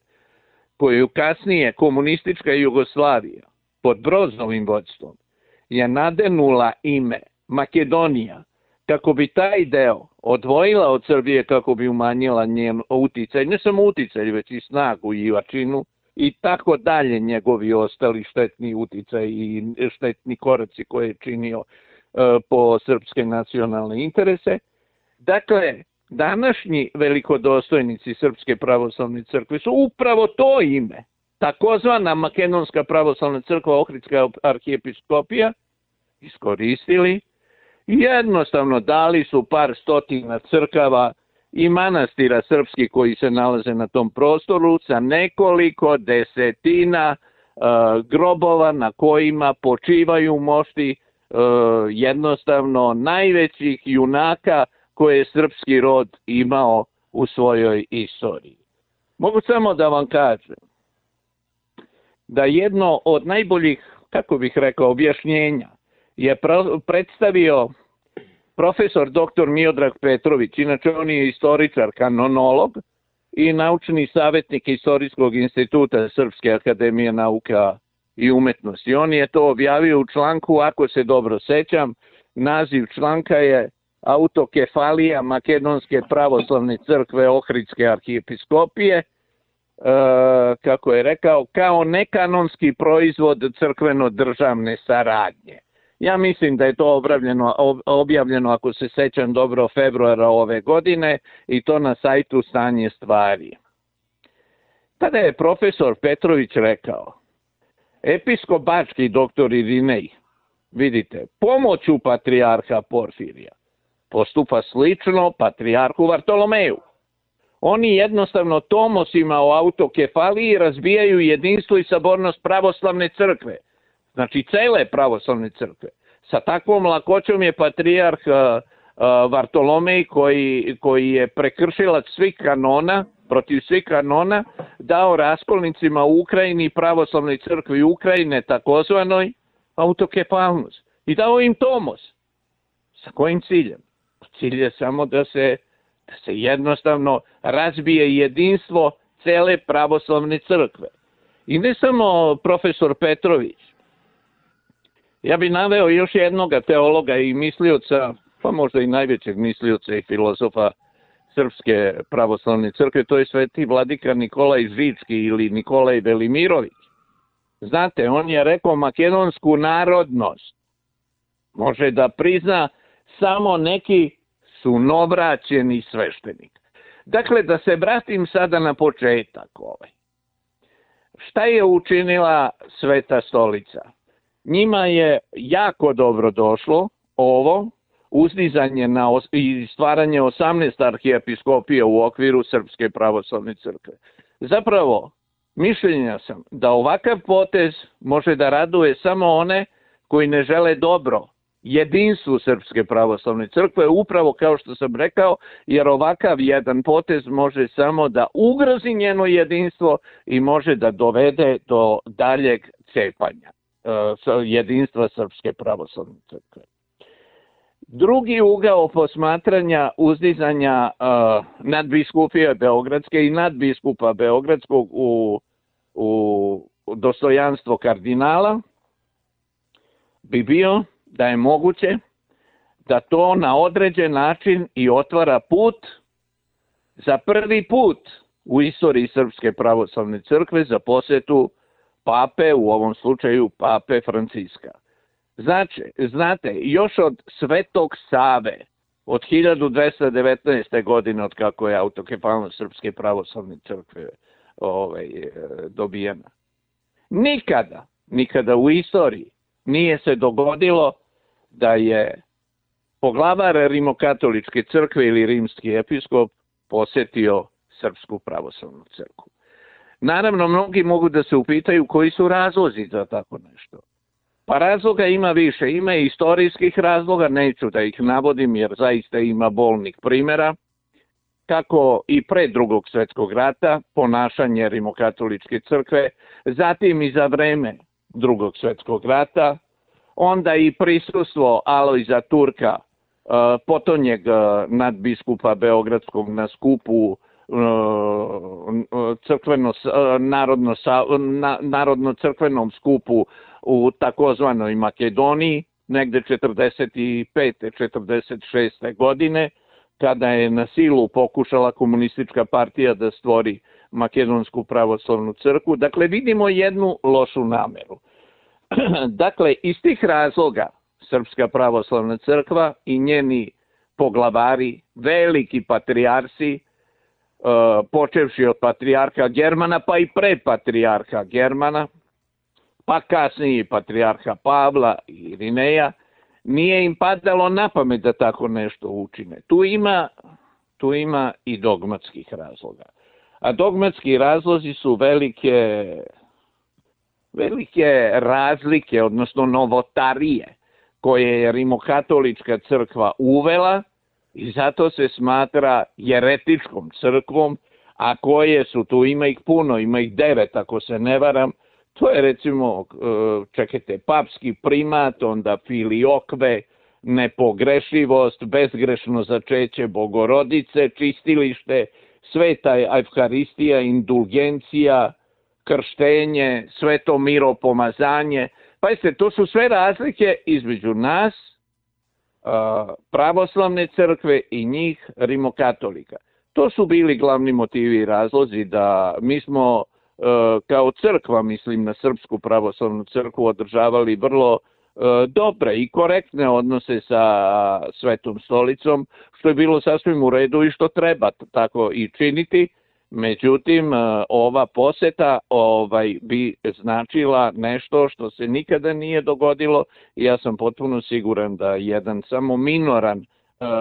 koju kasnije komunistička Jugoslavija pod Brozovim vodstvom je nadenula ime Makedonija, kako bi taj deo odvojila od Srbije, kako bi umanjila njen uticaj, ne samo uticaj, već i snagu i jačinu i tako dalje, njegovi ostali štetni uticaj i štetni koraci koje je činio po srpske nacionalne interese. Dakle, današnji velikodostojnici Srpske pravoslavne crkve su upravo to ime, takozvana Makedonska pravoslavna crkva, Ohridska arhijepiskopija, iskoristili i jednostavno dali su par stotina crkava i manastira srpskih koji se nalaze na tom prostoru sa nekoliko desetina grobova na kojima počivaju mošti jednostavno najvećih junaka koje je srpski rod imao u svojoj istoriji. Mogu samo da vam kažem da jedno od najboljih, kako bih rekao, objašnjenja je predstavio profesor dr. Miodrag Petrović. Inače, on je istoričar, kanonolog i naučni savjetnik Istorijskog instituta Srpske akademije nauka i umetnosti. On je to objavio u članku, ako se dobro sećam, naziv članka je Autokefalija Makedonske pravoslavne crkve Ohridske arhijepiskopije, kako je rekao, kao nekanonski proizvod crkveno-državne saradnje. Ja mislim da je to objavljeno, ako se sećam dobro, februara ove godine i to na sajtu Stanje stvari. Tada je profesor Petrović rekao, episkop bački dr. Irinej, vidite, pomoću patrijarha Porfirija, postupa slično patrijarhu Vartolomeju. Oni jednostavno tomosima o autokefaliji razbijaju jedinstvo i sabornost pravoslavne crkve. Znači, cele pravoslavne crkve. Sa takvom lakoćom je patrijarh Vartolomej, koji je prekršilac svih kanona, protiv svih kanona, dao raskolnicima u Ukrajini, pravoslavnoj crkvi Ukrajine, takozvanoj, autokefalnost. I dao im tomos. Sa kojim ciljem? Cilj je samo da se jednostavno razbije jedinstvo cele pravoslavne crkve. I ne samo profesor Petrović. Ja bih naveo još jednog teologa i mislioca, pa možda i najvećeg mislioca i filozofa Srpske pravoslavne crkve, to je sveti vladika Nikolaj Žički ili Nikolaj Velimirović. Znate, on je rekao, makedonsku narodnost može da prizna samo neki sunovraćeni sveštenik. Dakle, da se vratim sada na početak ovaj. Šta je učinila Sveta stolica? Njima je jako dobro došlo ovo uzdizanje i stvaranje 18 arhijepiskopija u okviru Srpske pravoslavne crkve. Zapravo, mišljenja sam da ovakav potez može da raduje samo one koji ne žele dobro jedinstvu Srpske pravoslavne crkve, upravo kao što sam rekao, jer ovakav jedan potez može samo da ugrozi njeno jedinstvo i može da dovede do daljeg cepanja jedinstva Srpske pravoslavne crkve. Drugi ugao posmatranja uzdizanja nadbiskupije Beogradske i nadbiskupa Beogradskog u dostojanstvo kardinala bi bio da je moguće da to na određen način i otvara put za prvi put u istoriji Srpske pravoslavne crkve za posetu pape, u ovom slučaju pape Franciska. Znate, još od Svetog Save, od 1219. godine, od kako je autokefalnost Srpske pravoslavne crkve dobijena, nikada u istoriji nije se dogodilo da je poglavar rimokatoličke crkve ili rimski episkop posetio Srpsku pravoslavnu crkvu. Naravno, mnogi mogu da se upitaju koji su razlozi za tako nešto. Pa razloga ima više. Ima i istorijskih razloga, neću da ih navodim jer zaista ima bolnih primjera. Kako i pre Drugog svjetskog rata, ponašanje rimokatoličke crkve, zatim i za vreme Drugog svjetskog rata, onda i prisustvo Alojza Turka, potonjeg nadbiskupa Beogradskog na skupu narodno-crkvenom skupu u takozvanoj Makedoniji, negde 45. 46. godine, kada je na silu pokušala komunistička partija da stvori Makedonsku pravoslavnu crkvu. Dakle, vidimo jednu lošu nameru. Dakle, iz tih razloga Srpska pravoslavna crkva i njeni poglavari, veliki patrijarsi, počevši od patrijarha Germana, pa i pre patrijarha Germana, pa kasnije patrijarha Pavla i Irineja, nije im padalo na pamet da tako nešto učine. Tu ima i dogmatskih razloga. A dogmatski razlozi su velike razlike, odnosno novotarije, koje je rimokatolička crkva uvela i zato se smatra jeretičkom crkvom, a koje su, tu ima ih puno, ima ih 9 ako se ne varam, to je recimo, čekajte, papski primat, onda filiokve, nepogrešivost, bezgrešno začeće Bogorodice, čistilište, sveta evharistija, indulgencija, krštenje, sveto miropomazanje. Pazite, to su sve razlike između nas, pravoslavne crkve i njih, rimokatolika. To su bili glavni motivi i razlozi da mi smo kao crkva, mislim na Srpsku pravoslavnu crkvu, održavali vrlo dobre i korektne odnose sa Svetom stolicom, što je bilo sasvim u redu i što treba tako i činiti. Međutim, ova poseta bi značila nešto što se nikada nije dogodilo i ja sam potpuno siguran da jedan samo minoran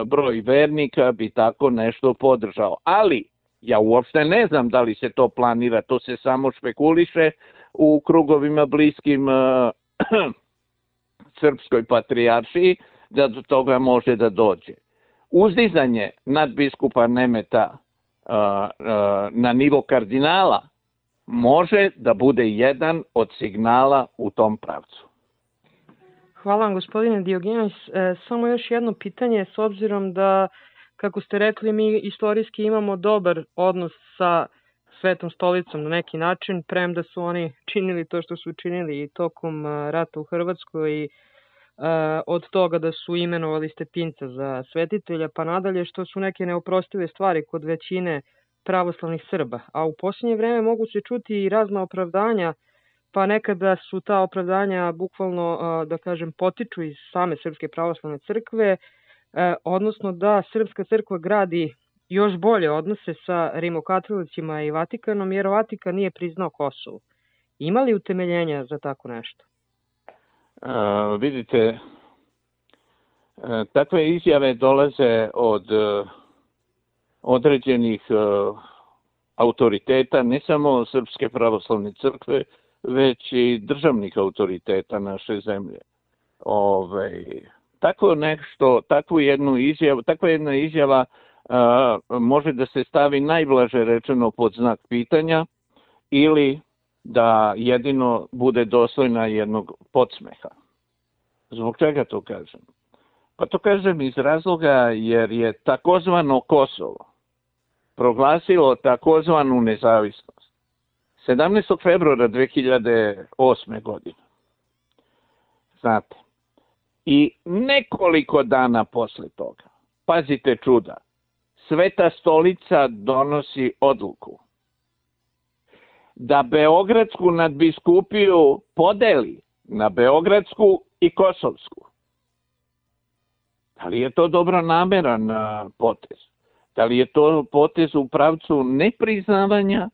broj vernika bi tako nešto podržao. Ali ja uopšte ne znam da li se to planira, to se samo špekuliše u krugovima bliskim Srpskoj patrijaršiji, da do toga može da dođe. Uzdizanje nadbiskupa Nemeta na nivo kardinala može da bude jedan od signala u tom pravcu. Hvala vam, gospodine Diogenis. Samo još jedno pitanje, s obzirom da, kako ste rekli, mi istorijski imamo dobar odnos sa Svetom stolicom na neki način, premda su oni činili to što su činili i tokom rata u Hrvatskoj i od toga da su imenovali Stepinca za svetitelja, pa nadalje, što su neke neoprostive stvari kod većine pravoslavnih Srba. A u posljednje vreme mogu se čuti i razna opravdanja, pa nekada su ta opravdanja bukvalno, da kažem, potiču iz same Srpske pravoslavne crkve, odnosno da Srpska crkva gradi još bolje odnose sa rimokatolicima i Vatikanom, jer Vatikan nije priznao Kosovo. Ima li utemeljenja za tako nešto? Vidite, takve izjave dolaze od određenih autoriteta, ne samo Srpske pravoslavne crkve, već i državnih autoriteta naše zemlje. Takva jedna izjava može da se stavi najblaže rečeno pod znak pitanja ili da jedino bude dostojna jednog podsmeha. Zbog čega to kažem? Pa to kažem iz razloga jer je takozvano Kosovo proglasilo takozvanu nezavisnost 17. februara 2008. godine. Znate, i nekoliko dana posle toga, pazite čuda, Sveta stolica donosi odluku da Beogradsku nadbiskupiju podeli na Beogradsku i Kosovsku. Da li je to dobronameran potez? Da li je to potez u pravcu nepriznavanja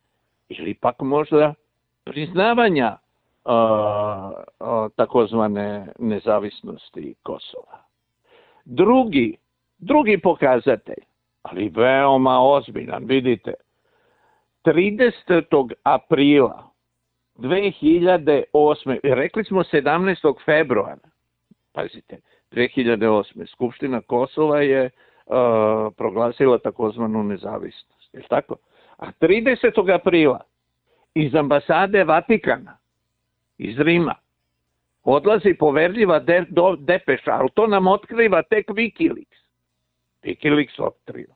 ili pak možda priznavanja takozvane nezavisnosti Kosova? Drugi pokazatelj, ali veoma ozbiljan, vidite, 30. aprila 2008. Rekli smo 17. februara, pazite, 2008. Skupština Kosova je proglasila takozvanu nezavisnost. Je li tako? A 30. aprila iz ambasade Vatikana, iz Rima, odlazi poverljiva depeša, ali to nam otkriva tek Wikileaks. Wikileaks otkriva.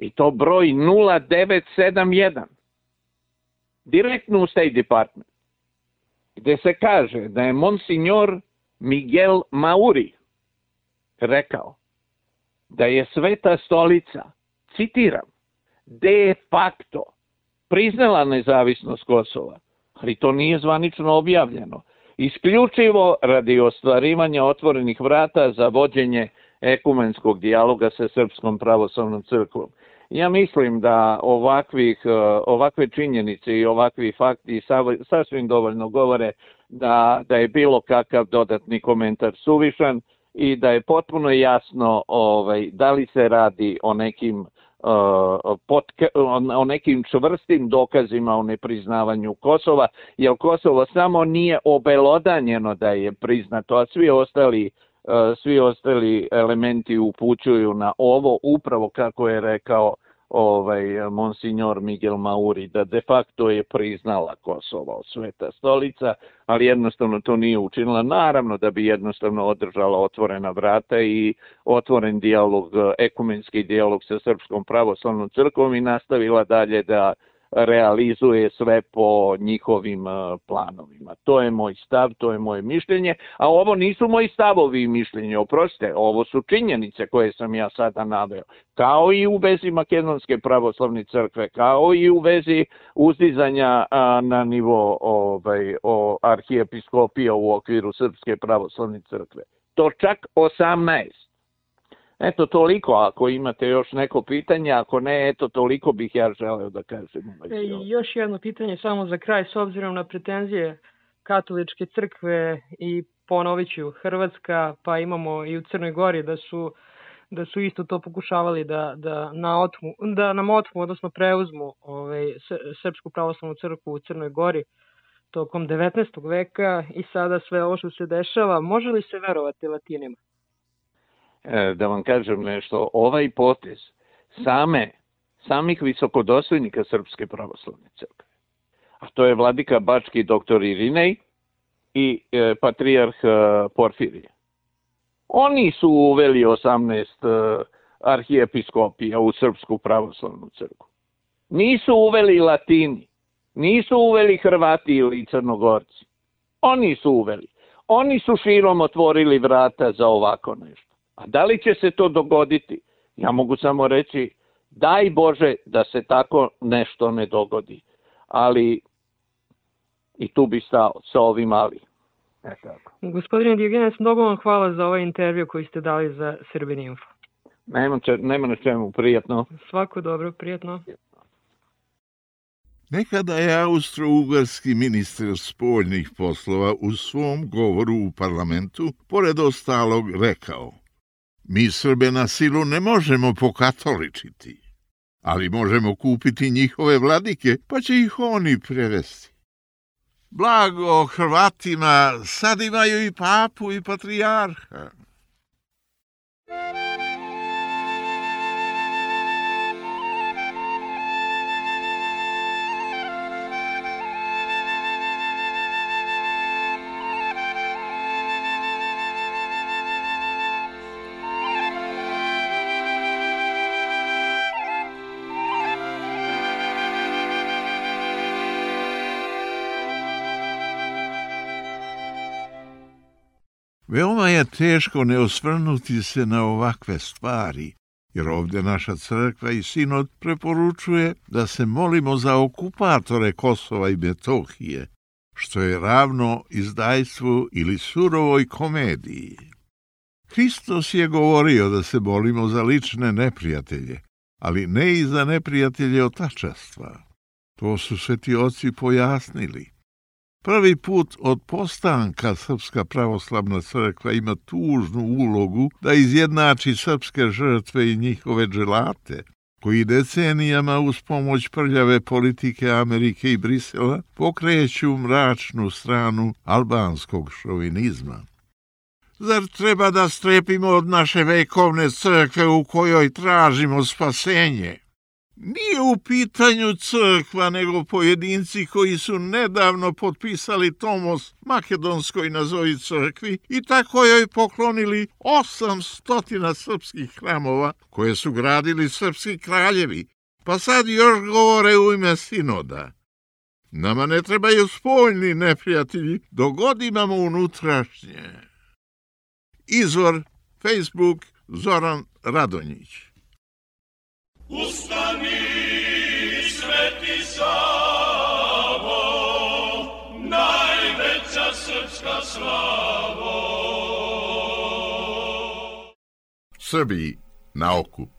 I to broj 0971. Direktno u State Department. Gde se kaže da je Monsignor Miguel Mauri rekao da je Sveta stolica, citiram, de facto priznala nezavisnost Kosova, ali to nije zvanično objavljeno. Isključivo radi ostvarivanja otvorenih vrata za vođenje ekumenskog dijaloga sa Srpskom pravoslavnom crkvom. Ja mislim da ovakve činjenice i ovakvi fakti sasvim dovoljno govore da je bilo kakav dodatni komentar suvišan i da je potpuno jasno da li se radi o nekim čvrstim dokazima o nepriznavanju Kosova, jer Kosovo samo nije obelodanjeno da je priznato, a svi ostali elementi upućuju na ovo, upravo kako je rekao monsignor Miguel Mauri, da de facto je priznala Kosovo Sveta stolica, ali jednostavno to nije učinila. Naravno da bi jednostavno održala otvorena vrata i otvoren dijalog, ekumenski dijalog sa Srpskom pravoslavnom crkvom i nastavila dalje da realizuje sve po njihovim planovima. To je moj stav, to je moje mišljenje, a ovo nisu moji stavovi i mišljenje, oprostite, ovo su činjenice koje sam ja sada naveo, kao i u vezi Makedonske pravoslavne crkve, kao i u vezi uzdizanja na nivo arhijepiskopija u okviru Srpske pravoslavne crkve. To čak 18. Eto, toliko, ako imate još neko pitanje, ako ne, eto, toliko bih ja želeo da kažem. Još jedno pitanje samo za kraj, s obzirom na pretenzije katoličke crkve i ponovit ću, Hrvatska, pa imamo i u Crnoj Gori da su isto to pokušavali da nam otmu, odnosno preuzmu Srpsku pravoslavnu crkvu u Crnoj Gori tokom 19. veka i sada sve ovo što se dešava, može li se verovati Latinima? Da vam kažem nešto, ovaj potez samih visokodostojnika Srpske pravoslavne crkve, a to je vladika Bački dr. Irinej i patrijarh Porfirije. Oni su uveli 18 arhijepiskopija u Srpsku pravoslavnu crkvu. Nisu uveli Latini, nisu uveli Hrvati ili Crnogorci. Oni su uveli. Oni su širom otvorili vrata za ovako nešto. A da li će se to dogoditi? Ja mogu samo reći, daj Bože da se tako nešto ne dogodi. Ali i tu bi stao sa ovim ali. Gospodine Diogenes, mnogo vam hvala za ovaj intervju koji ste dali za Srbin Info. Nema na čemu, prijatno. Svako dobro, prijatno. Nekada je austro-ugarski ministar spoljnih poslova u svom govoru u parlamentu, pored ostalog, rekao: mi Srbe na silu ne možemo pokatoličiti, ali možemo kupiti njihove vladike, pa će ih oni prevesti. Blago Hrvatima, sad imaju i papu i patrijarha. Veoma je teško ne osvrnuti se na ovakve stvari, jer ovdje naša crkva i sinod preporučuje da se molimo za okupatore Kosova i Metohije, što je ravno izdajstvu ili surovoj komediji. Hristos je govorio da se molimo za lične neprijatelje, ali ne i za neprijatelje otačastva. To su sveti oci pojasnili. Prvi put od postanka Srpska pravoslavna crkva ima tužnu ulogu da izjednači srpske žrtve i njihove dželate, koji decenijama uz pomoć prljave politike Amerike i Brisela pokreću mračnu stranu albanskog šovinizma. Zar treba da strepimo od naše vekovne crkve u kojoj tražimo spasenje? Nije u pitanju crkva, nego pojedinci koji su nedavno potpisali tomos makedonskoj nazovi crkvi i tako joj poklonili 800 srpskih hramova koje su gradili srpski kraljevi, pa sad još govore u ime sinoda. Nama ne trebaju spoljni neprijatelji, dok god imamo unutrašnje. Izvor Facebook Zoran Radonjić. Ustani Sveti Savo, najveća srpska slavo. Srbiji na okup.